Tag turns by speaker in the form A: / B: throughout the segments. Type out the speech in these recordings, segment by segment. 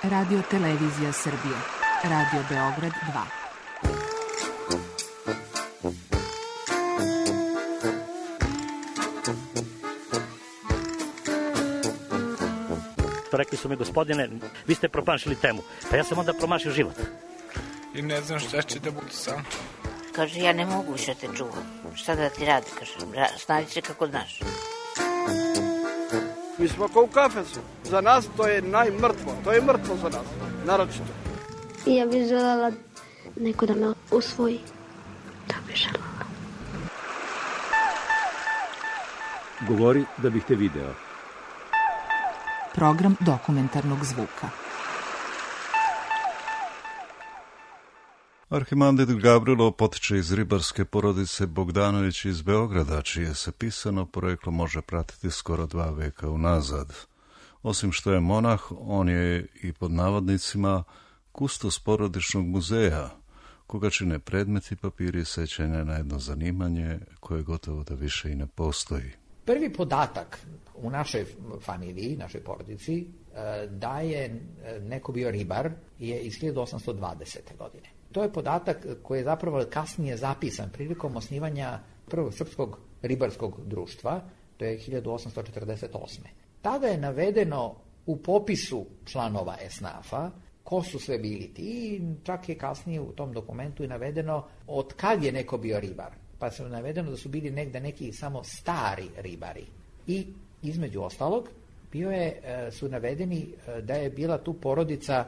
A: Radio Televizija Srbije. Radio Beograd 2.
B: Rekli su mi, gospodine, vi ste promašili temu. Pa ja sam onda promašio život.
C: I ne znam šta će da budu sam.
D: Kaže, ja ne mogu više te čuvam. Šta da ti radi, kaže, snađi se kako znaš.
E: Mi smo kao u kafesu. Za nas to je najmrtvo. To je mrtvo za nas, naročito.
F: Ja bih željela neko da me usvoji. To bih željela.
G: Govori da bih te video.
A: Program dokumentarnog zvuka.
H: Arhimandrit Gavrilo potiče iz ribarske porodice Bogdanović iz Beograda, čije se pisano poreklo može pratiti skoro 2 veka unazad. Osim što je monah, on je i pod navodnicima kustos porodičnog muzeja, koga čine predmeti, papiri, sećanja na jedno zanimanje koje gotovo da više i ne postoji.
I: Prvi podatak u našoj familiji, našoj porodici, da je neko bio ribar je iz 1820. godine. To je podatak koji je zapravo kasnije zapisan prilikom osnivanja prvog srpskog ribarskog društva, to je 1848. Tada je navedeno u popisu članova esnafa ko su sve bili ti, čak je kasnije u tom dokumentu i navedeno od kad je neko bio ribar. Pa se navedeno da su bili negde neki samo stari ribari. I između ostalog su navedeni da je bila tu porodica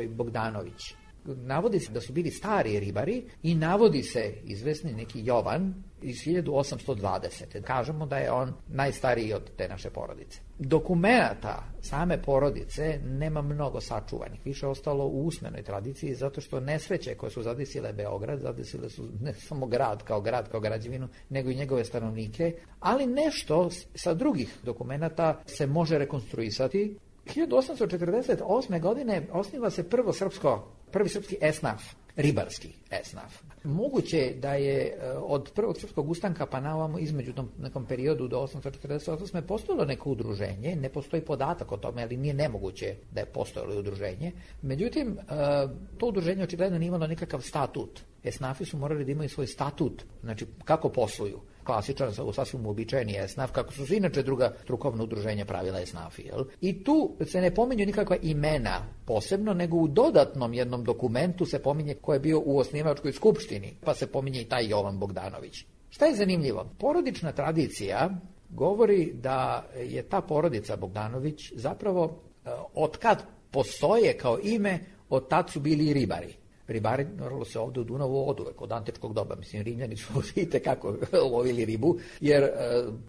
I: Bogdanović. Navodi se da su bili stari ribari i navodi se izvesni neki Jovan iz 1820. Kažemo da je on najstariji od te naše porodice. Dokumenata same porodice nema mnogo sačuvanih. Više ostalo u usmenoj tradiciji, zato što nesreće koje su zadesile Beograd, zadesile su ne samo grad kao građevinu, nego i njegove stanovnike, ali nešto sa drugih dokumenata se može rekonstruisati. 1848. godine osniva se prvi srpski esnaf, ribarski esnaf. Moguće da je od prvog srpskog ustanka pa na ovamo između tom nekom periodu do 1848. postojalo neko udruženje, ne postoji podatak o tome, ali nije nemoguće da je postojalo udruženje. Međutim, to udruženje očigledno nije imalo nikakav statut. Esnafi su morali da imaju svoj statut, znači kako posluju. Klasičan, sasvim uobičajeni esnaf, kako su se inače druga strukovna udruženja pravila esnafi. Jel? I tu se ne pominju nikakva imena posebno, nego u dodatnom jednom dokumentu se pominje ko je bio u osnivačkoj skupštini, pa se pominje i taj Jovan Bogdanović. Šta je zanimljivo? Porodična tradicija govori da je ta porodica Bogdanović zapravo otkad postoje kao ime, od tad su bili i ribari. Ribari normalno se ovdje u Dunavu oduvek, od antičkog doba. Mislim, Rimljani su itekako lovili ribu, jer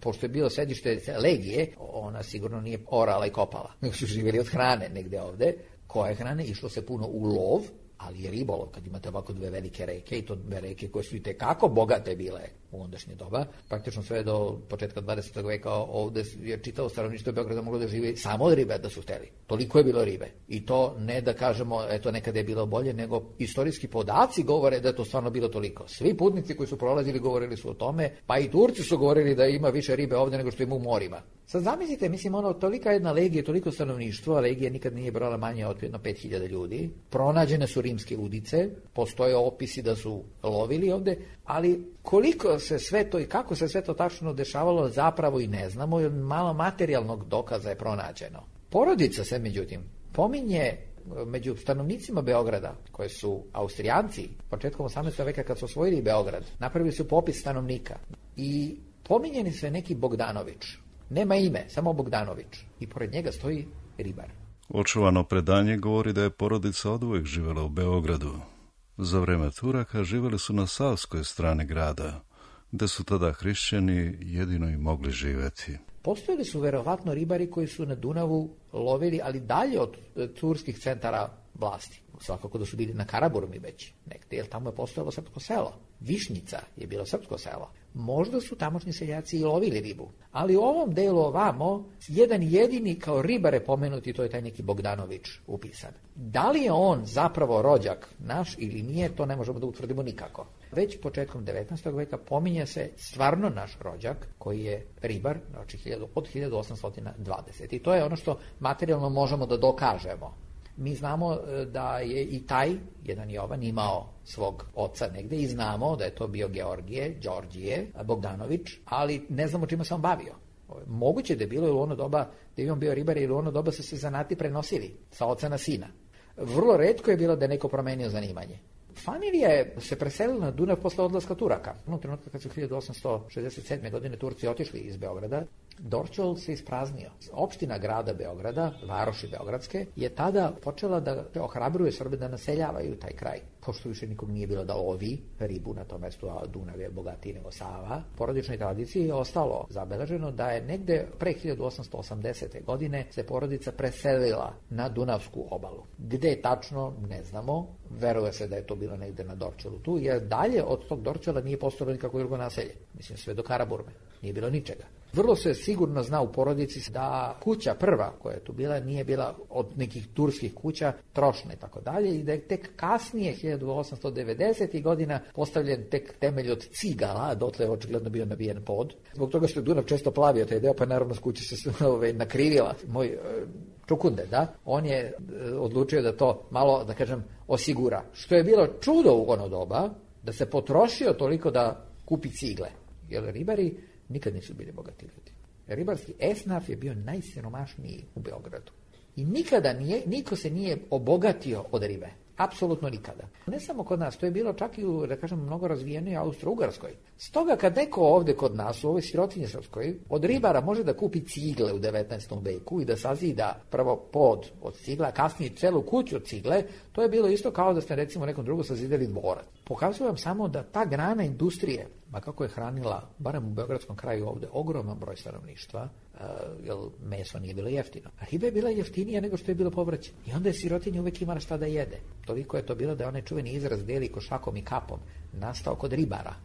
I: pošto je bilo sedište legije, ona sigurno nije orala i kopala, nego su živjeli od hrane negde ovde. Koje hrane? Išlo se puno u lov, ali je ribolov, kad imate ovako 2 velike reke, i to 2 reke koje su itekako bogate bile u ondašnje doba, praktično sve do početka 20. veka ovde je čitavo stanovništvo Beograda moglo da živi samo od ribe da su hteli. Toliko je bilo ribe. I to ne da kažemo, eto nekada je bilo bolje, nego istorijski podaci govore da je to stvarno bilo toliko. Svi putnici koji su prolazili govorili su o tome, pa i Turci su govorili da ima više ribe ovde nego što ima u morima. Sad zamislite, mislim, tolika jedna legija, toliko stanovništvo, a legija nikad nije brala manje od 5000 ljudi. Pronađene su rimske udice, postoje opisi da su lovili ovde, ali koliko se sve to i kako se sve to tačno dešavalo zapravo i ne znamo, jer malo materijalnog dokaza je pronađeno. Porodica se, međutim, pominje među stanovnicima Beograda, koji su Austrijanci, početkom 18. veka kad su osvojili Beograd, napravili su popis stanovnika i pominjeni se neki Bogdanović. Nema ime, samo Bogdanović. I pored njega stoji ribar.
H: Očuvano predanje govori da je porodica oduvek živjela u Beogradu. Za vreme Turaka živjeli su na savskoj strani grada, gde su tada hrišćani jedino i mogli živjeti.
I: Postojali su verovatno ribari koji su na Dunavu lovili, ali dalje od turskih centara vlasti. Svakako da su bili na Karaburmi već negde, jer tamo je postojalo srpsko selo. Višnjica je bilo srpsko selo. Možda su tamošnji seljaci i lovili ribu. Ali u ovom delu ovamo, jedan jedini kao ribare pomenuti, to je taj neki Bogdanović upisan. Da li je on zapravo rođak naš ili nije, to ne možemo da utvrdimo nikako. Već početkom 19. veka pominje se stvarno naš rođak, koji je ribar, znači od 1820. I to je ono što materijalno možemo da dokažemo. Mi znamo da je i taj, jedan Jovan, imao svog oca negde i znamo da je to bio Đorđije Bogdanović, ali ne znamo čime se on bavio. Moguće da je bilo u ono doba da je on bio ribar, ili u ono doba su se zanati prenosili sa oca na sina. Vrlo retko je bilo da je neko promenio zanimanje. Familija je se preselila na Dunav posle odlaska Turaka. U trenutku kad su 1867. godine Turci otišli iz Beograda, Dorćol se ispraznio. Opština grada Beograda, varoši Beogradske, je tada počela da ohrabruje Srbe da naseljavaju taj kraj. Pošto više nikog nije bilo da lovi ribu na tom mestu, a Dunav je bogatiji nego Sava, porodičnoj tradiciji je ostalo zabeleženo da je negde pre 1880. godine se porodica preselila na Dunavsku obalu. Gde je tačno, ne znamo. Veruje se da je to bilo negde na Dorćolu tu, jer dalje od tog Dorćola nije postojalo nikako drugo naselje. Mislim, sve do Karaburme. Nije bilo ničega. Vrlo se sigurno zna u porodici da kuća prva koja je tu bila nije bila od nekih turskih kuća, trošna i tako dalje, i da je tek kasnije 1890. godina postavljen tek temelj od cigala, a dotle je očigledno bio nabijen pod. Zbog toga što je Dunav često plavio taj deo, pa naravno s kuće se nakrivila. Moj Čukunde, da, on je odlučio da to malo, da kažem, osigura. Što je bilo čudo u ono doba, da se potrošio toliko da kupi cigle. Jer ribari nikad nisu bili bogati ljudi. Ribarski esnaf je bio najsiromašniji u Beogradu. I nikada niko se nije obogatio od ribe. Apsolutno nikada. Ne samo kod nas, to je bilo čak i u, da kažem, mnogo razvijenoj Austro-Ugarskoj. Stoga kad neko ovde kod nas, u ovoj sirotinji srpskoj, od ribara može da kupi cigle u 19. veku i da sazida prvo pod od cigla, a kasnije celu kuću od cigle, to je bilo isto kao da ste recimo nekom drugom sazidali dvorac. Pokazujem vam samo da ta grana industrije, ma kako je hranila, barem u beogradskom kraju ovde, ogroman broj stanovništva, jer meso nije bilo jeftino. A riba je bila jeftinija nego što je bilo povrće. I onda je sirotinja uvek imala šta da jede. Toliko je to bilo da je onaj čuveni izraz deli košakom i kapom nastao kod ribara.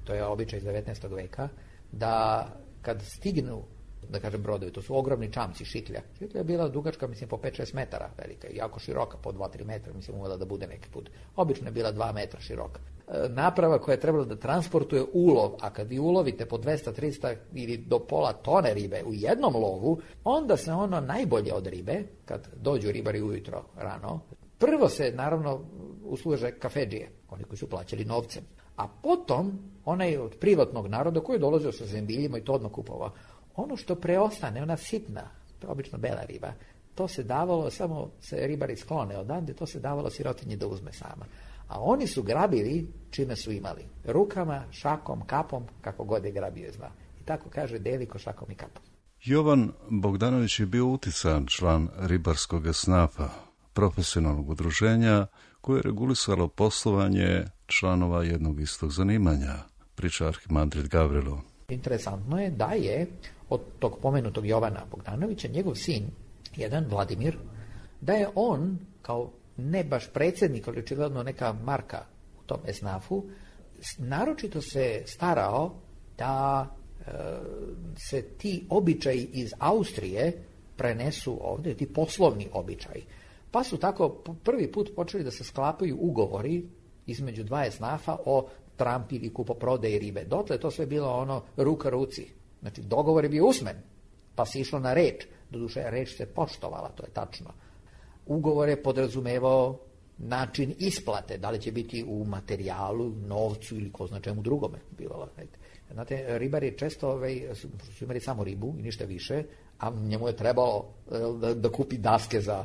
I: To je običaj iz 19. veka, da kad stignu, da kažem, brodovi, to su ogromni čamci, šitlja. Šitlja je bila dugačka, mislim, po 5-6 metara velika, jako široka, po 2-3 metra, mislim, uvela da bude neki put. Obično je bila 2 metra široka. Naprava koja je trebala da transportuje ulov, a kad vi ulovite po 200-300 ili do pola tone ribe u jednom lovu, onda se ono najbolje od ribe, kad dođu ribari ujutro rano, prvo se, naravno, usluže kafedžije, oni koji su plaćali novcem, a potom onaj od privatnog naroda koji je dolazio sa zembiljima i to odmah kupovao. Ono što preostane, ona sitna, to je obično bela riba, to se davalo, samo se ribari sklone odande, to se davalo sirotinji da uzme sama. A oni su grabili čime su imali. Rukama, šakom, kapom, kako god je grabio zna. I tako kaže Deliko šakom i kapom.
H: Jovan Bogdanović je bio uticajan član ribarskog esnafa, profesionalnog udruženja koje je regulisalo poslovanje članova jednog istog zanimanja, priča arhimandrit Gavrilo.
I: Interesantno je da je od tog pomenutog Jovana Bogdanovića njegov sin, jedan Vladimir, da je on kao ne baš predsjednik, ali očigledno neka marka u tom esnafu, naročito se starao da se ti običaji iz Austrije prenesu ovdje, ti poslovni običaji. Pa su tako prvi put počeli da se sklapaju ugovori između dva esnafa o trampi ili kupoprodaji ribe. Dotle je to sve bilo ono ruka ruci. Znači dogovor je bio usmen, pa se išlo na reč. Doduše reč se poštovala, to je tačno. Ugovor je podrazumevao način isplate, da li će biti u materijalu, novcu ili ko zna čemu drugome. Znate, ribari često su imali samo ribu i ništa više, a njemu je trebalo da kupi daske za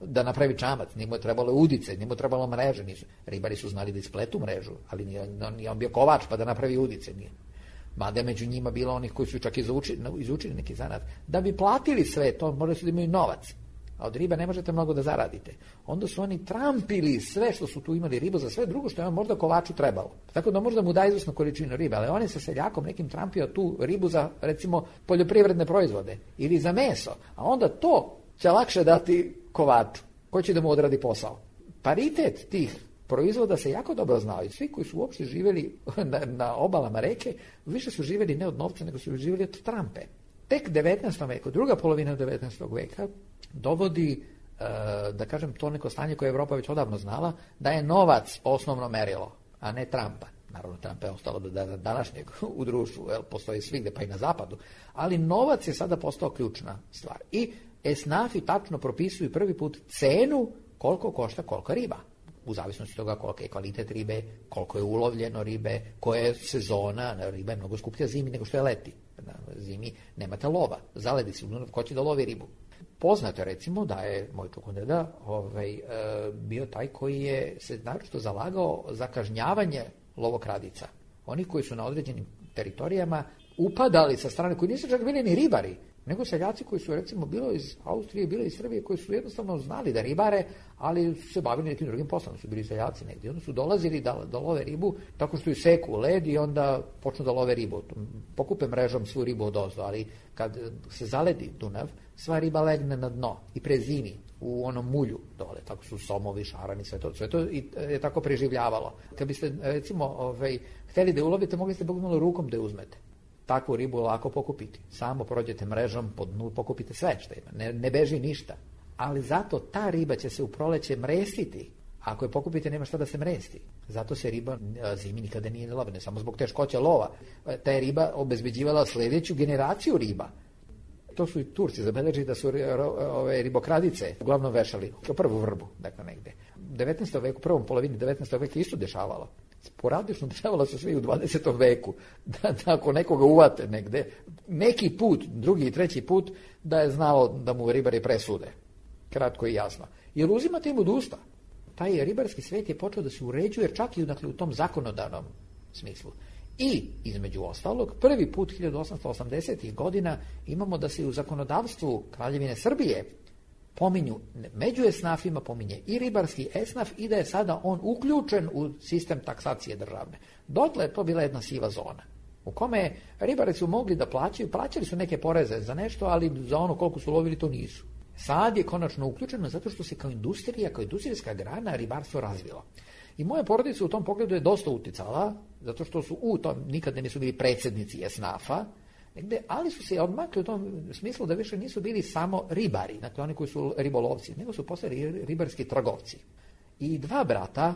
I: da napravi čamac, njemu je trebalo udice, njemu je trebalo mreže. Ribari su znali da ispletu mrežu, ali nije on bio kovač pa da napravi udice. Mada je među njima bilo onih koji su čak izučili neki zanat. Da bi platili sve to, morali su da imaju novac. A od ribe ne možete mnogo da zaradite. Onda su oni trampili sve što su tu imali ribu za sve drugo što je možda kovaču trebalo. Tako da možda mu da izvrsnu količinu ribe, ali on je sa seljakom nekim trampio tu ribu za, recimo, poljoprivredne proizvode ili za meso. A onda to će lakše dati kovaču, koji će da mu odradi posao. Paritet tih proizvoda se jako dobro znao i svi koji su uopšte živjeli na obalama reke, više su živjeli ne od novca, nego su živjeli od trampe. Tek 19. veku, druga polovina 19. veka, dovodi, da kažem, to neko stanje koje je Evropa već odavno znala, da je novac osnovno merilo, a ne trampa. Naravno, trampa je ostalo do današnjeg u društvu, postoji svigde, pa i na zapadu. Ali novac je sada postao ključna stvar. I esnafi tačno propisuju prvi put cenu koliko košta kolika riba. U zavisnosti od toga koliko je kvalitet ribe, koliko je ulovljeno ribe, koja je sezona, riba je mnogo skuplja zimi nego što je leti. Zimi nemate lova, zaledi se, ko će da lovi ribu. Poznato je recimo da je moj čukundeda bio taj koji je se naročito zalagao za kažnjavanje lovokradica. Oni koji su na određenim teritorijama upadali sa strane, koji nisu čak bili ni ribari, nego seljaci koji su recimo bilo iz Austrije, bilo iz Srbije, koji su jednostavno znali da ribare, ali su se bavili nekim drugim poslom, su bili seljaci negdje. Onda su dolazili da love ribu tako što ju seku u led i onda počnu da love ribu. Pokupe mrežom svu ribu odozdo, ali kad se zaledi Dunav, sva riba legne na dno i prezimi u onom mulju dole, tako su somovi, šarani, sve to je tako preživljavalo. Kad biste recimo hteli da je ulovite, mogli ste bukvalno rukom da je uzmete. Takvu ribu lako pokupiti. Samo prođete mrežom, po dnu pokupite sve što ima. Ne beži ništa. Ali zato ta riba će se u proleće mrestiti. Ako je pokupite, nema šta da se mresti. Zato se riba zimi nikada nije lova, ne samo zbog teškoće lova. Ta je riba obezbeđivala sljedeću generaciju riba. To su i Turci zabeležili da su ribokradice uglavnom vešali prvu vrbu, dakle negde. 19. veku, prvom polovini 19. veka isto dešavalo. Sporadično dešavalo se sve i u 20. veku, da ako nekoga uvate negde, neki put, drugi i treći put, da je znao da mu ribari presude. Kratko i jasno. Jer uzimate im od usta. Taj ribarski svet je počeo da se uređuje čak i u tom zakonodavnom smislu. I, između ostalog, prvi put 1880. godina imamo da se u zakonodavstvu Kraljevine Srbije pominju, među esnafima pominje i ribarski esnaf i da je sada on uključen u sistem taksacije državne. Dotle je to bila jedna siva zona u kome ribari su mogli da plaćali su neke poreze za nešto, ali za ono koliko su lovili to nisu. Sad je konačno uključeno zato što se kao industrija, kao industrijska grana ribarstvo razvilo. I moja porodica u tom pogledu je dosta uticala, zato što su nikada nisu bili predsjednici esnafa, ali su se odmakli u tom smislu da više nisu bili samo ribari, dakle oni koji su ribolovci, nego su postali ribarski trgovci. I dva brata,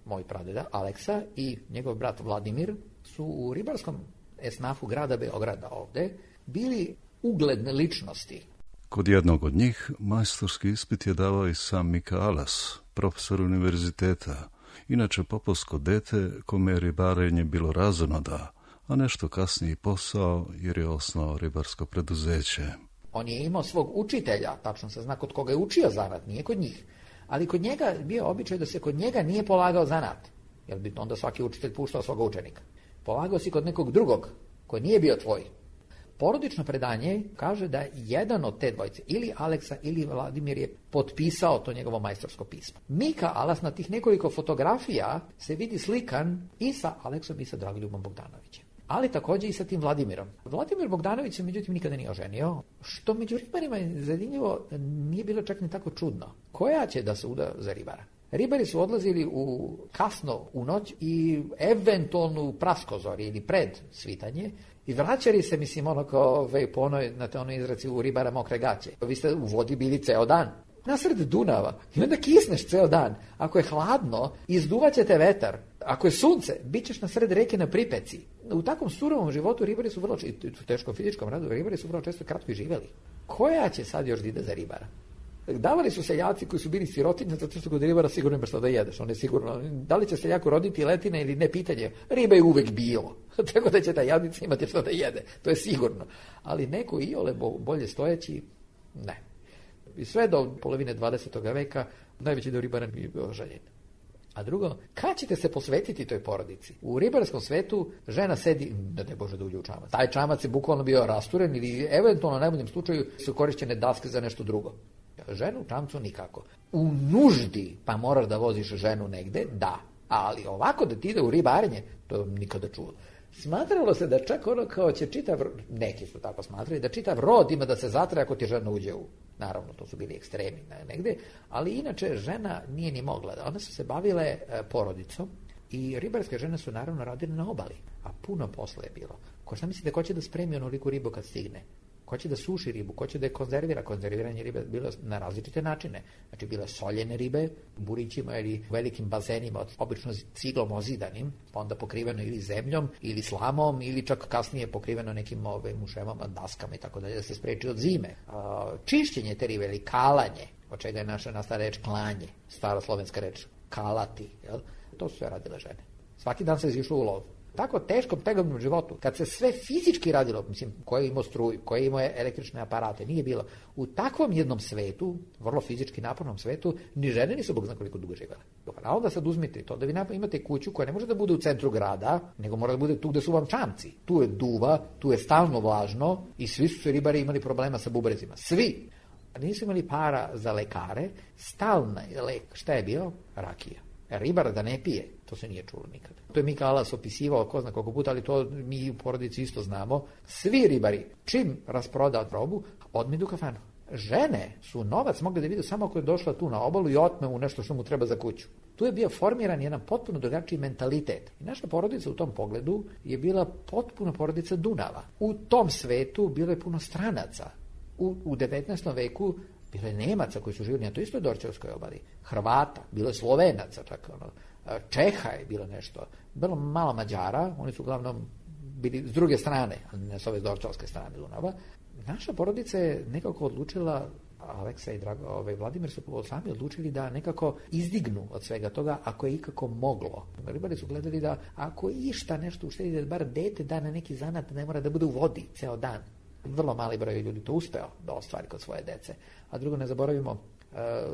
I: moj pradeda Aleksa i njegov brat Vladimir, su u ribarskom esnafu grada Beograda ovde bili ugledne ličnosti.
H: Kod jednog od njih majstorski ispit je davao i sam Mika Alas, profesor univerziteta, inače popovsko dete kome je ribarenje bilo razonoda, a nešto kasniji posao jer je osnovao ribarsko preduzeće.
I: On je imao svog učitelja, tačno se zna kod koga je učio zanat, nije kod njih. Ali kod njega bio običaj da se kod njega nije polagao zanat, jer bi onda svaki učitelj puštao svoga učenika. Polagao si kod nekog drugog, koji nije bio tvoj. Porodično predanje kaže da jedan od te dvojice, ili Aleksa ili Vladimir, je potpisao to njegovo majstorsko pismo. Mika Alas na tih nekoliko fotografija se vidi slikan i sa Aleksom i sa Dragoljubom Bogdanovićem. Ali također i sa tim Vladimirom. Vladimir Bogdanović se međutim nikada nije oženio, što među ribarima je zanimljivo nije bilo čak ni tako čudno. Koja će da se uda za ribara? Ribari su odlazili kasno u noć i eventualno u praskozori ili pred svitanje i vraćali se, mislim, ono kao po onoj izraci u ribara mokre gaće. Vi ste u vodi bili ceo dan. Nasred Dunava. I onda kisneš ceo dan. Ako je hladno, izduvat će te vetar. Ako je sunce, bit ćeš na sred reke na pripeci. U takvom surovom životu ribari su vrlo, u teškom fizičkom radu, ribari su vrlo često kratko i živjeli. Koja će sad još da ide za ribara? Davali su seljaci koji su bili sirotinje, zato što kod ribara sigurno ima što da jedeš. On je sigurno, da li će seljaku roditi letine ili ne, pitanje. Riba je uvek bilo. Tako da će ta jadnica imati što da jede. To je sigurno. Ali neko iole bolje stojeći, ne. I sve do polovine 20. veka najveći dio ribara nije bio željen. A drugo, kad ćete se posvetiti toj porodici? U ribarskom svetu žena sedi, ne Bože da uđe u čamac. Taj čamac je bukvalno bio rasturen ili eventualno u najboljem slučaju su korišćene daske za nešto drugo. Ženu u čamcu nikako. U nuždi pa moraš da voziš ženu negde, da. Ali ovako da ti ide u ribarenje, to nikada čuo. Smatralo se da čak ono kao će neki su tako smatrali, da čitav rod ima da se zatre ako ti žena uđe u... Naravno, to su bili ekstremi negde, ali inače žena nije ni mogla. One su se bavile porodicom i ribarske žene su naravno radile na obali, a puno posla je bilo. Ko šta mislite, ko će da spremi onoliku ribu kad stigne? Ko će da suši ribu, ko će da je konzervira. Konzerviranje ribe bilo na različite načine. Znači, bile soljene ribe, burićima ili velikim bazenima, obično ciglom ozidanim, pa onda pokriveno ili zemljom, ili slamom, ili čak kasnije pokriveno nekim muševama, daskama i tako dalje, da se spreči od zime. Čišćenje te ribe ili kalanje, od čega je naša nastala reč klanje, stara slovenska reč kalati, jel? To su sve radile žene. Svaki dan se izišlo u lov. Tako teškom, tegobnom životu, kad se sve fizički radilo, mislim, ko je imao struju, ko je imao električne aparate, nije bilo. U takvom jednom svetu, vrlo fizički napornom svetu, ni žene nisu bog zna koliko dugo živele. A onda sad uzmite to da vi imate kuću koja ne može da bude u centru grada, nego mora da bude tu gde su vam čamci. Tu je duva, tu je stalno vlažno i svi su ribari imali problema sa bubrezima. Svi! Nisu imali para za lekare, stalna lek, šta je bio? Rakija. Ribar da ne pije, to se nije čulo nikad. To je Mika Alas opisivao, ko zna koliko puta, ali to mi u porodici isto znamo. Svi ribari, čim rasproda robu, odme idu u kafanu. Žene su novac mogli da vide samo ako je došla tu na obalu i otme u nešto što mu treba za kuću. Tu je bio formiran jedan potpuno drugačiji mentalitet. I naša porodica u tom pogledu je bila potpuno porodica Dunava. U tom svetu bilo je puno stranaca. U 19. veku bilo je Nemaca koji su živjeli na toj istoj Dorćolskoj obali, Hrvata, bilo je Slovenaca, čak Čeha je bilo nešto, bilo malo Mađara, oni su uglavnom bili s druge strane, a ne s ove Dorćolske strane Dunava. Naša porodica je nekako odlučila, Aleksa i Vladimir su sami odlučili da nekako izdignu od svega toga ako je ikako moglo. Ribari su gledali da ako išta nešto uštedi, da bar dete da na neki zanat, ne mora da bude u vodi ceo dan. Vrlo mali broj ljudi to uspeo da ostvari kod svoje dece. A drugo, ne zaboravimo,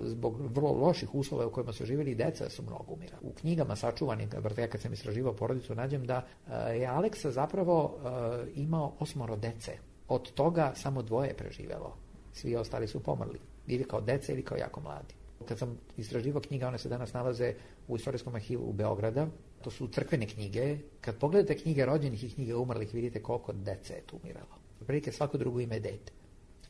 I: zbog vrlo loših uslova u kojima su živjeli, deca su mnogo umirala. U knjigama sačuvanim, ja kad sam istraživao porodicu, nađem da je Aleksa zapravo imao 8 dece. Od toga samo 2 preživelo. Svi ostali su pomrli. Ili kao dece, ili kao jako mladi. Kad sam istraživao knjiga, one se danas nalaze u Istorijskom arhivu u Beograda. To su crkvene knjige. Kad pogledate knjige rođenih i knjige umrlih, vidite koliko dece je tu umiralo. Prilike svako drugo ime dete.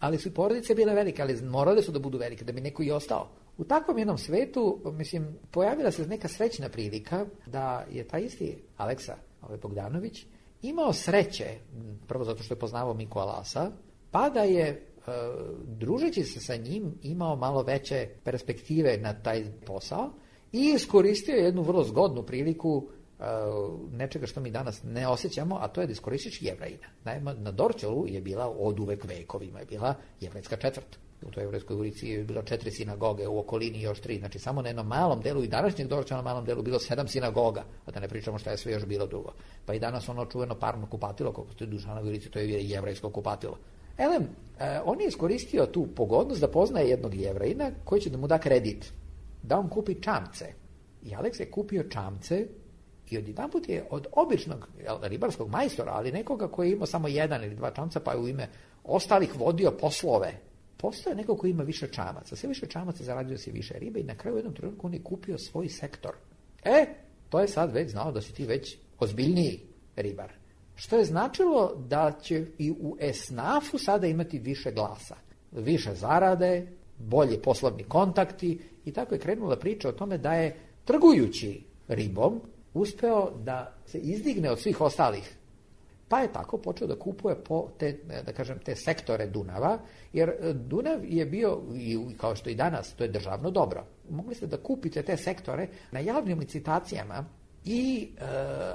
I: Ali su i porodice bile velike, ali morale su da budu velike, da bi neko i ostao. U takvom jednom svetu, mislim, pojavila se neka srećna prilika da je taj isti Aleksa Bogdanović imao sreće, prvo zato što je poznavao Miku Alasa, pa da je, družeći se sa njim, imao malo veće perspektive na taj posao i iskoristio jednu vrlo zgodnu priliku nečega što mi danas ne osjećamo, a to je da iskoristiš Jevrejina. Naime, na Dorćolu je bila od uvek vekovima, je bila jevrejska četvrt. U toj jevrejskoj ulici je bilo 4 sinagoge, u okolini još 3. Znači, samo na jednom malom delu i današnjeg Dorćola malom delu bilo 7 sinagoga, a da ne pričamo šta je sve još bilo drugo. Pa i danas ono čuveno parno kupatilo, kako stoji Dušanovoj ulici, to je jevrejsko kupatilo. Elem, on je iskoristio tu pogodnost da poznaje jednog Jevrejina koji će da mu da kredit, da on kupi čamce. I Aleks je kupio čamce i odjedanput je od običnog ribarskog majstora, ali nekoga koji je imao samo 1 ili 2 čamca, pa je u ime ostalih vodio poslove. Postoje neko koji ima više čamaca. Sve više čamaca zarađuje se više ribe i na kraju u jednom trenutku on je kupio svoj sektor. To je sad već znao da si ti već ozbiljniji ribar. Što je značilo da će i u esnafu sada imati više glasa, više zarade, bolje poslovni kontakti i tako je krenula priča o tome da je trgujući ribom uspeo da se izdigne od svih ostalih. Pa je tako počeo da kupuje po te sektore Dunava, jer Dunav je bio, kao što i danas, to je državno dobro. Mogli ste da kupite te sektore na javnim licitacijama i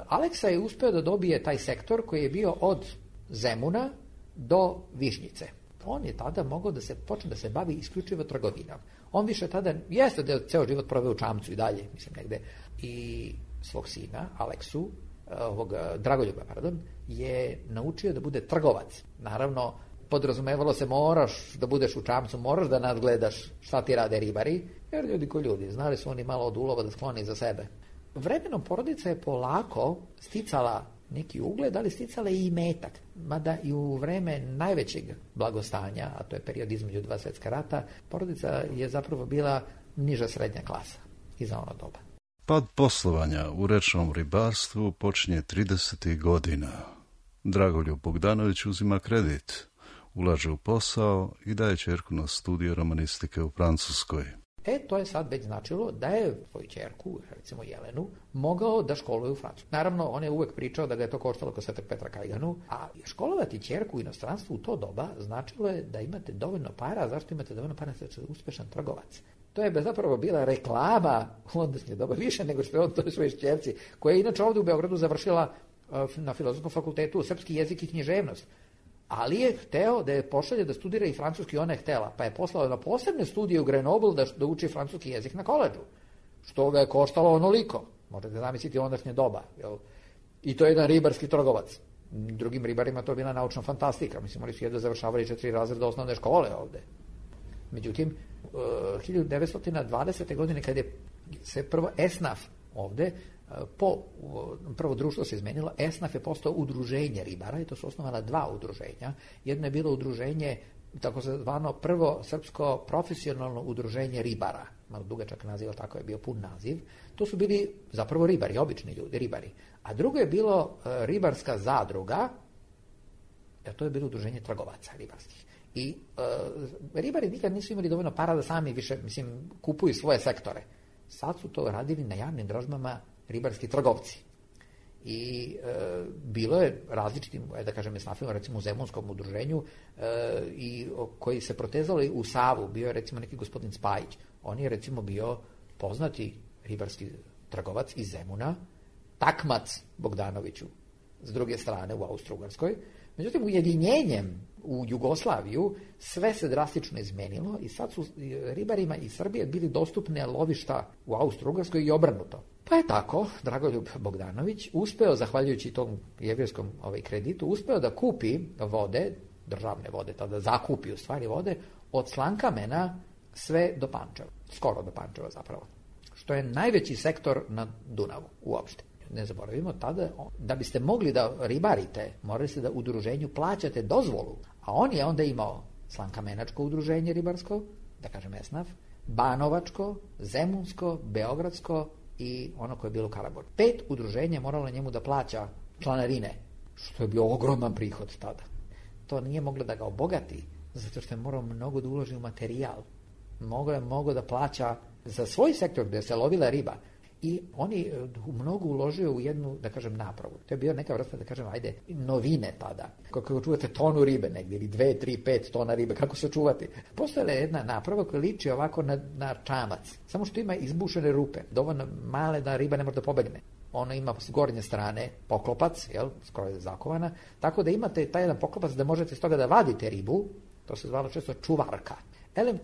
I: Aleksa je uspeo da dobije taj sektor koji je bio od Zemuna do Višnjice. On je tada mogao da se počne da se bavi isključivo trgovinom. On više tada, jeste da je ceo život proveo u Čamcu i dalje, mislim negde, i svog sina, Aleksu, Dragoljuba, je naučio da bude trgovac. Naravno, podrazumevalo se moraš da budeš u Čamcu, moraš da nadgledaš šta ti rade ribari, jer ljudi ko ljudi, znali su oni malo od ulova da skloni za sebe. Vremenom porodica je polako sticala neki ugled, ali sticala i imetak. Mada i u vreme najvećeg blagostanja, a to je period između 2 svjetska rata, porodica je zapravo bila niža srednja klasa i za ono doba.
H: Pad poslovanja u rečnom ribarstvu počinje 30. godina. Dragoljub Bogdanović uzima kredit, ulaže u posao i daje ćerku na studije romanistike u Francuskoj.
I: To je sad već značilo da je svoju ćerku, recimo Jelenu, mogao da školuje u Francusku. Naravno, on je uvek pričao da ga je to koštalo kod Svetog Petra Kajganu, a školovati ćerku u inostranstvu u to doba značilo je da imate dovoljno para. Zašto imate dovoljno para? Da ste uspešan trgovac. To je zapravo bila reklama u ondašnje doba, više nego što je on to svojoj ćerci, koja je inače ovde u Beogradu završila na Filozofskom fakultetu srpski jezik i književnost. Ali je hteo da je pošalje da studira i francuski, ona je htela, pa je poslao na posebne studije u Grenoble da uči francuski jezik na koledžu, što ga je koštalo onoliko. Možete zamisliti ondašnje doba. Jel? I to je jedan ribarski trgovac. Drugim ribarima to je bila naučna fantastika. Mislim, oni su jedno završavali 4 razreda osnovne škole ovde. Međutim, 1920. godine, kada je se prvo ESNAF ovde, prvo društvo se izmenilo, ESNAF je postao udruženje ribara i to su osnovana 2 udruženja. Jedno je bilo udruženje, tako se zvano prvo srpsko profesionalno udruženje ribara, malo dugačak naziv, tako je bio pun naziv. To su bili zapravo ribari, obični ljudi, ribari. A drugo je bilo ribarska zadruga, to je bilo udruženje trgovaca ribarskih. I ribari nikad nisu imali dovoljno para da sami više, kupuju svoje sektore. Sad su to radili na javnim dražbama ribarski trgovci. I bilo je različitim, da kažem, esnafima, recimo u Zemunskom udruženju, i koji se protezali u Savu. Bio je recimo neki gospodin Spajić. On je recimo bio poznati ribarski trgovac iz Zemuna, takmac Bogdanoviću s druge strane u Austro-Ugarskoj. Međutim, ujedinjenjem u Jugoslaviju sve se drastično izmenilo i sad su ribarima iz Srbije bili dostupne lovišta u Austro-Ugarskoj i obrnuto. Pa je tako Dragoljub Bogdanović uspeo, zahvaljujući tom jevrijskom kreditu, uspeo da kupi vode, državne vode, tada zakupi u stvari vode, od Slankamena sve do Pančeva, skoro do Pančeva zapravo, što je najveći sektor na Dunavu uopšte. Ne zaboravimo, tada, da biste mogli da ribarite, morali ste da udruženju plaćate dozvolu, a on je onda imao Slankamenačko udruženje ribarsko, da kažem ESNAF, Banovačko, Zemunsko, Beogradsko i ono koje je bilo u Karaburmi. 5 udruženja moralo njemu da plaća članarine, što je bio ogroman prihod tada. To nije moglo da ga obogati, zato što je morao mnogo da uloži u materijal. Mogao da plaća za svoj sektor gde se lovila riba. I oni mnogo uložio u jednu, da kažem, napravu. To je bio neka vrsta, da kažem, novine tada. Kako čuvate tonu ribe negdje, ili 2, 3, 5 tona ribe, kako se čuvati. Postojala je jedna naprava koja liči ovako na čamac, samo što ima izbušene rupe, dovoljno male da riba ne može da pobegne. Ona ima s gornje strane poklopac, skoro je zakovana, tako da imate taj jedan poklopac da možete s toga da vadite ribu, to se zvalo često čuvarka.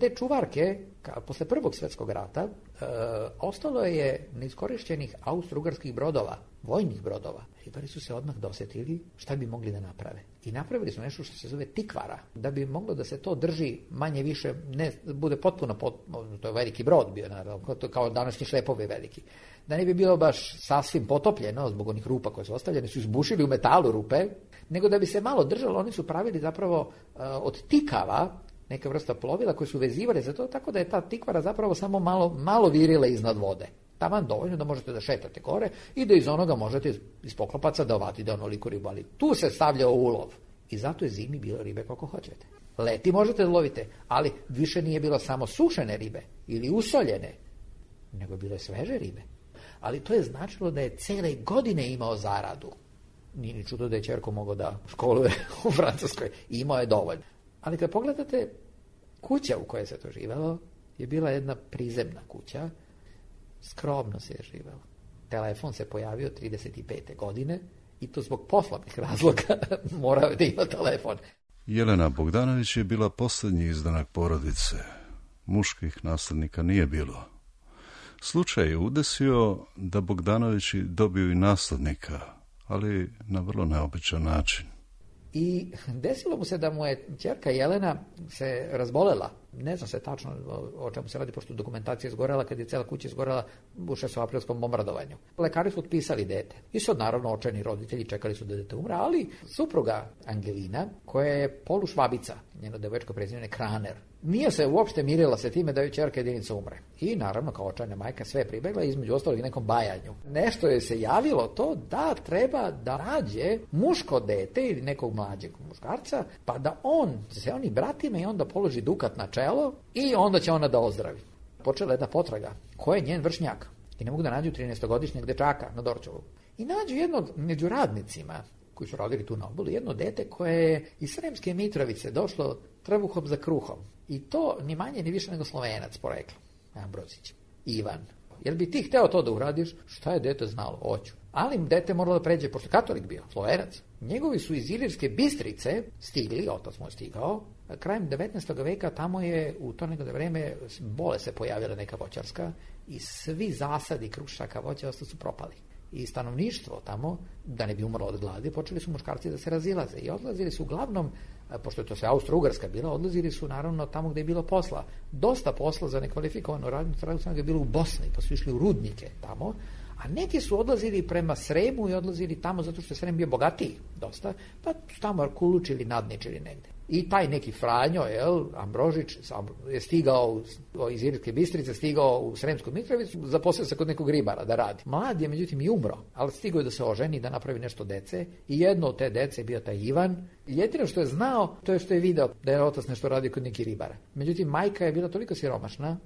I: Te čuvarke, posle Prvog svjetskog rata, ostalo je neiskorišćenih austro-ugarskih brodova, vojnih brodova. Ribari su se odmah dosetili šta bi mogli da naprave. I napravili su nešto što se zove tikvara, da bi moglo da se to drži manje više, ne bude potpuno, to je veliki brod bio, naravno, kao današnji šlepovi veliki. Da ne bi bilo baš sasvim potopljeno zbog onih rupa koje su ostavljene, su izbušili u metalu rupe, nego da bi se malo držalo, oni su pravili zapravo od tikava neka vrsta plovila koje su vezivali za to, tako da je ta tikvara zapravo samo malo virila iznad vode. Taman dovoljno da možete da šetate gore i da iz onoga možete iz poklopaca da ovatite onoliku ribu, ali tu se stavlja ulov. I zato je zimi bilo ribe koliko hoćete. Leti možete da lovite, ali više nije bilo samo sušene ribe ili usoljene, nego bilo je sveže ribe. Ali to je značilo da je cele godine imao zaradu. Nije ni čudo da je ćerko mogao da školuje u Francuskoj. Imao je dovoljno. Ali kad pogledate, kuća u kojoj se to živelo je bila jedna prizemna kuća, skromno se je živelo. Telefon se pojavio 35. godine i to zbog poslovnih razloga morao je da ima telefon.
H: Jelena Bogdanović je bila posljednji izdanak porodice. Muških naslednika nije bilo. Slučaj je udesio da Bogdanovići dobiju i naslednika, ali na vrlo neobičan način.
I: I desilo mu se da mu je ćerka Jelena se razbolela. Ne znam se tačno o čemu se radi, pošto dokumentacija je izgorela kad je cela kuća izgorela u 6-aprilskom bombardovanju. Lekari su otpisali dete. I sad naravno očajni roditelji čekali su da dete umre, ali supruga Angelina, koja je polušvabica, njeno devojčko prezime je Kraner, nije se uopšte mirila sa time da joj ćerka jedinica umre. I naravno kao očajna majka sve pribegla, između ostalog i nekom bajanju. Nešto je se javilo to da treba da nađe muško dete ili nekog mlađeg muškarca, pa da on se oni bratima i onda položi dukat na čelo i onda će ona da ozdravi. počela jedna potraga. Ko je njen vršnjak? I ne mogu da nađu 13-godišnjeg dečaka na Dorćolu. I nađu jednog među radnicima koji su radili tu na obali, jedno dete koje je iz Sremske Mitrovice došlo trbuhom za kruhom. I to ni manje ni više nego Slovenac poreklo. Ambrozić. Ivan. Jel bi ti hteo to da uradiš? Šta je dete znalo? Hoću. Ali dete moralo da pređe, pošto katolik bio, Slovenac. Njegovi su iz Ilirske Bistrice stigli, otac mu je stigao. Krajem 19. veka tamo je u to nekada vreme bole se pojavila neka voćarska i svi zasadi krušaka voća su propali. I stanovništvo tamo, da ne bi umrlo od gladi, počeli su muškarci da se razilaze i odlazili su uglavnom, pošto je to sve Austro-Ugarska bila, odlazili su naravno tamo gde je bilo posla. Dosta posla za nekvalifikovanu radnicu je bilo u Bosni, pa su išli u rudnike tamo, a neki su odlazili prema Sremu i odlazili tamo zato što je Srem bio bogatiji dosta, pa su tamo kulučili, nadničili negde. I taj neki Franjo, Ambrožić, je stigao iz Ilirske Bistrice, stigao u Sremsku Mitrovicu, zaposlio se kod nekog ribara da radi. Mlad je, međutim, i umro, ali stigao je da se oženi, da napravi nešto dece i jedno od te dece je bio taj Ivan. Jedino što je znao, to je što je video da je otac nešto radio kod neki ribara. Međutim, majka je bila toliko siromašna,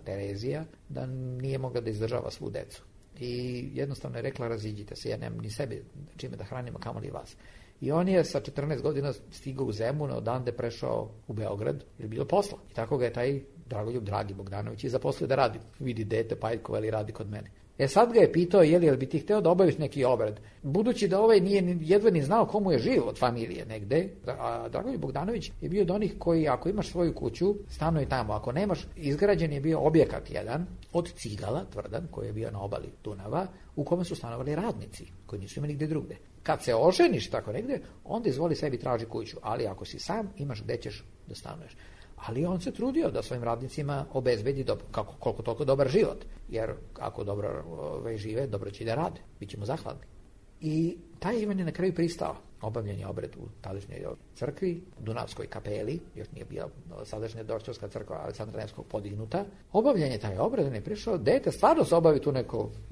I: Terezija, da nije mogla da izdržava svu decu. I jednostavno je rekla, raziđite se, ja nemam ni sebi čime da hranimo, kamoli vas. I on je sa 14 godina stigao u Zemun, odande prešao u Beograd, jer je bilo posla. I tako ga je taj Dragoljub Dragi Bogdanović i zaposlio da radi. Vidi dete, Pajkova, ili radi kod mene. Sad ga je pitao, jel bi ti hteo da obaviš neki obred? Budući da ovaj nije jedva ni znao komu je živ od familije negde, a Dragoljub Bogdanović je bio od onih koji, ako imaš svoju kuću, stanuje tamo. Ako nemaš, izgrađen je bio objekat jedan od Cigala, tvrdan, koji je bio na obali Dunava, u kome su stanovali radnici, koji nisu imali gde drugde. Kad se oženiš tako negde, onda izvoli sebi traži kuću, ali ako si sam, imaš gde ćeš da stanuješ. Ali on se trudio da svojim radnicima obezbedi koliko toliko dobar život, jer ako dobro žive, dobro će da rade, bit ćemo zahvalni. I taj Ivan je na kraju pristao. Obavljen je obred u tadašnjoj crkvi, Dunavskoj kapeli, još nije bila sadašnja Dorćolska crkva Aleksandra Nevskog podignuta. Obavljen je taj obred, on je prišao, dete stvarno se obavi tu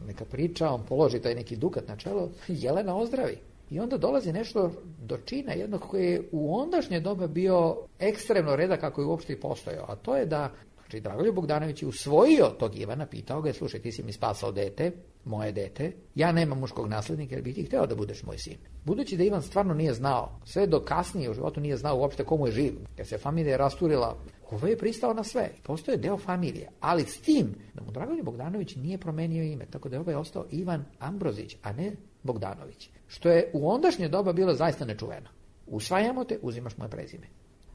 I: neka priča, on položi taj neki dukat na čelo, Jelena ozdravi. I onda dolazi nešto do čina jednog koji je u ondašnje doba bio ekstremno redak kako je uopšte i postojao, a to je da Dragoljub Bogdanović je usvojio tog Ivana, pitao ga je, slušaj, ti si mi spasao dete, moje dete, ja nemam muškog naslednika, jer bi ti hteo da budeš moj sin. Budući da Ivan stvarno nije znao, sve do kasnije u životu nije znao uopšte komu je živ, jer se familija rasturila, ovo je pristao na sve, postoje deo familije, ali s tim da mu Dragoljub Bogdanović nije promenio ime, tako da je ovaj ostao Ivan Ambrozić, a ne Bogdanović, što je u ondašnje doba bilo zaista nečuveno. Usvajamo te, uzimaš moje prezime.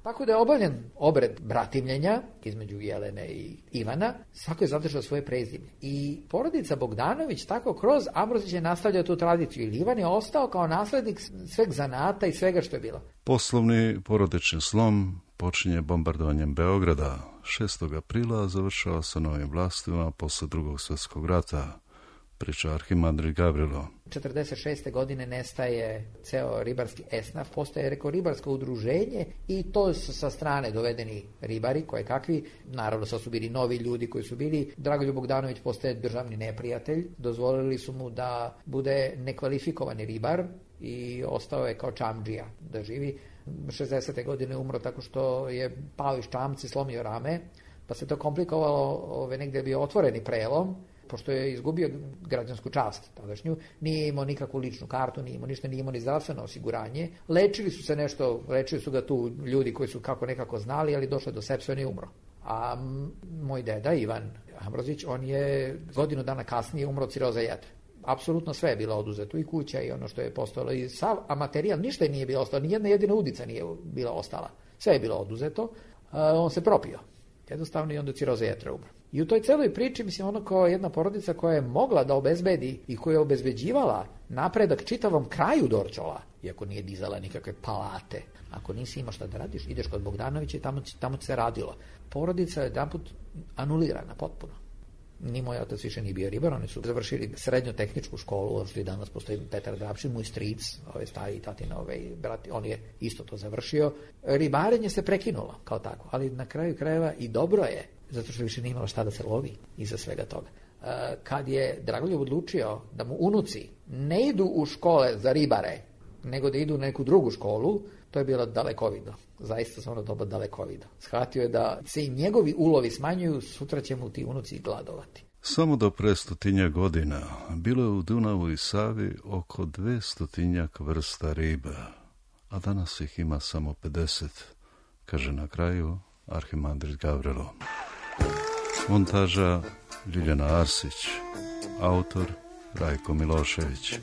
I: Tako da je obavljen obred bratimljenja između Jelene i Ivana, svako je zadržao svoje prezime. I porodica Bogdanović tako kroz Ambrozića je nastavljao tu tradiciju. I Ivan je ostao kao naslednik sveg zanata i svega što je bilo.
H: Poslovni porodični slom počinje bombardovanjem Beograda 6. aprila, završava sa novim vlastima posle Drugog svjetskog rata. Priča arhimandrit Gavrilo.
I: 1946. godine nestaje ceo ribarski esnaf, postaje ribarsko udruženje i to su sa strane dovedeni ribari, koje kakvi, naravno sad su bili novi ljudi koji su bili. Dragoljub Bogdanović postaje državni neprijatelj, dozvolili su mu da bude nekvalifikovani ribar i ostao je kao čamdžija da živi. 60. godine umro tako što je pao iz čamci, slomio rame, pa se to komplikovalo, negde je bio otvoreni prelom, pošto je izgubio građansku čast tadašnju, nije imao nikakvu ličnu kartu, nije imao ni zdravstveno osiguranje. Lečili su ga tu ljudi koji su nekako znali, ali došlo do sepse, on je umro. A moj deda, Ivan Ambrozić, on je godinu dana kasnije umro od ciroze jetre. Apsolutno sve je bilo oduzeto, i kuća i ono što je postojalo, i sav materijal, ništa nije bilo ostalo, ni jedna jedina udica nije bila ostala. Sve je bilo oduzeto, on se propio. Jednostavno i onda ciroze jetre umro. I u toj celoj priči, mislim, ono kao jedna porodica koja je mogla da obezbedi i koja je obezbeđivala napredak čitavom kraju Dorćola, iako nije dizala nikakve palate. Ako nisi imao šta da radiš, ideš kod Bogdanovića i tamo se radilo. Porodica je jedanput anulirana potpuno. Ni moj otac više nije bio ribar, oni su završili srednju tehničku školu, ono što i danas postoji Petar Drapšin, moj stric, stari tatina, brat, on je isto to završio. Ribarenje se prekinulo kao tako, ali na kraju krajeva i dobro je, zato što više nije imalo šta da se lovi iza svega toga. Kad je Dragoljub odlučio da mu unuci ne idu u škole za ribare, nego da idu u neku drugu školu, To je bilo dalekovido. Zaista su ono doba dalekovido. Shvatio je da se i njegovi ulovi smanjuju, sutra će mu ti unuci gladovati.
H: Samo do pre 100 godina bilo je u Dunavu i Savi oko 200 vrsta riba, a danas ih ima samo 50, kaže na kraju arhimandrit Gavrilo. Montaža Ljiljana Arsić, autor Rajko Milošević.